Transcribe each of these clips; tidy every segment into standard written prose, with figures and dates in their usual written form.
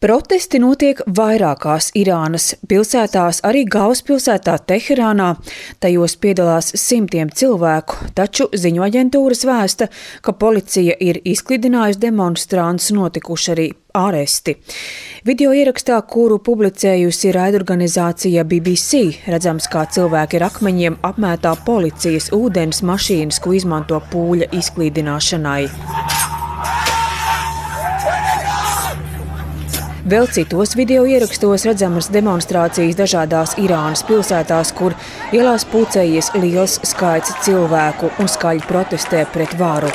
Protesti notiek vairākās Irānas pilsētās, arī galvaspilsētā Teherānā. Tajos piedalās simtiem cilvēku, taču ziņu aģentūras vēsta, ka policija ir izklidinājusi demonstrantus, notikuši arī āresti. Video ierakstā, kuru publicējusi raidorganizācija BBC, redzams, kā cilvēki ar akmeņiem apmētā policijas ūdens mašīnas, ko izmanto pūļa izklīdināšanai. Vēl citos video ierakstos redzamas demonstrācijas dažādās Irānas pilsētās, kur ielās pulcējies liels skaits cilvēku un skaļi protestē pret varu.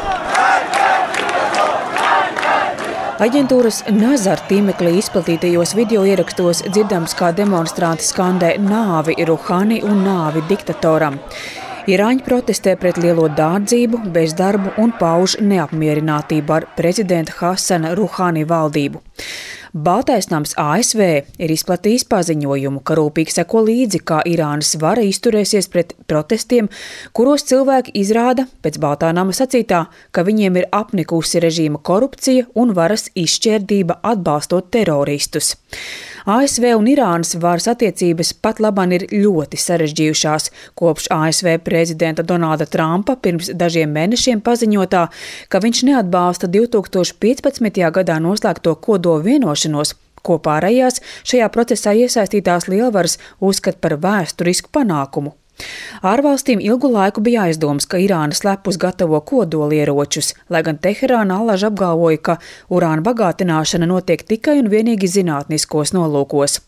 Aģentūras Nazar tīmeklī izplatītajos video ierakstos dzirdams, kā demonstranti skandē nāvi Ruhani un nāvi diktatoram. Irāņi protestē pret lielo dārdzību, bezdarbu un pauž neapmierinātību ar prezidenta Hasana Ruhani valdību. Baltais nams ASV ir izplatījis paziņojumu, ka rūpīgi seko līdzi, kā Irānas vara izturēsies pret protestiem, kuros cilvēki izrāda, pēc Baltā nama sacītā, ka viņiem ir apnikusi režīma korupcija un varas izšķērdība atbalstot teroristus. ASV un Irānas varas attiecības pat labāk ir ļoti sarežģījušās kopš ASV prezidenta Donalda Trumpa pirms dažiem mēnešiem paziņotā, ka viņš neatbalsta 2015. gadā noslēgto kodola vienošanos, ko pārējās šajā procesā iesaistītās lielvaras uzskata par vēsturisku panākumu. Ārvalstīm ilgu laiku bija aizdoms, ka Irāna slepus gatavo kodolieročus, lai gan Teherāna allaž apgalvoja, ka urāna bagātināšana notiek tikai un vienīgi zinātniskos nolūkos.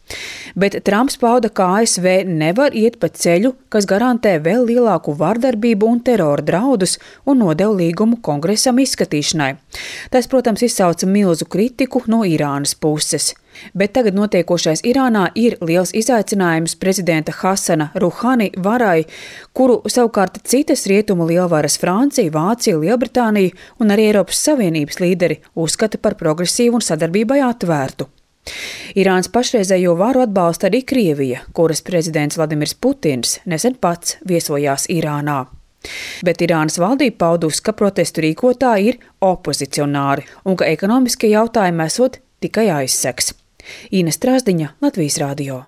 Bet Trumps pauda, ka ASV nevar iet pa ceļu, kas garantē vēl lielāku vardarbību un terora draudus, un nodeva līgumu kongresam izskatīšanai. Tas, protams, izsauca milzu kritiku no Irānas puses. Bet tagad notiekošais Irānā ir liels izaicinājums prezidenta Hasana Ruhani varai, kuru savukārt citas rietumu lielvaras Francija, Vācija, Lielbritānija un arī Eiropas Savienības līderi uzskata par progresīvu un sadarbībai atvērtu. Irānas pašreizējo varu atbalsta arī Krievija, kuras prezidents Vladimirs Putins nesen pats viesojās Irānā. Bet Irānas valdība paudusi, ka protestu rīkotāji ir opozicionāri un ka ekonomiskie jautājumi esot tikai aizseks. Ines Strasdiņa, Latvijas radio.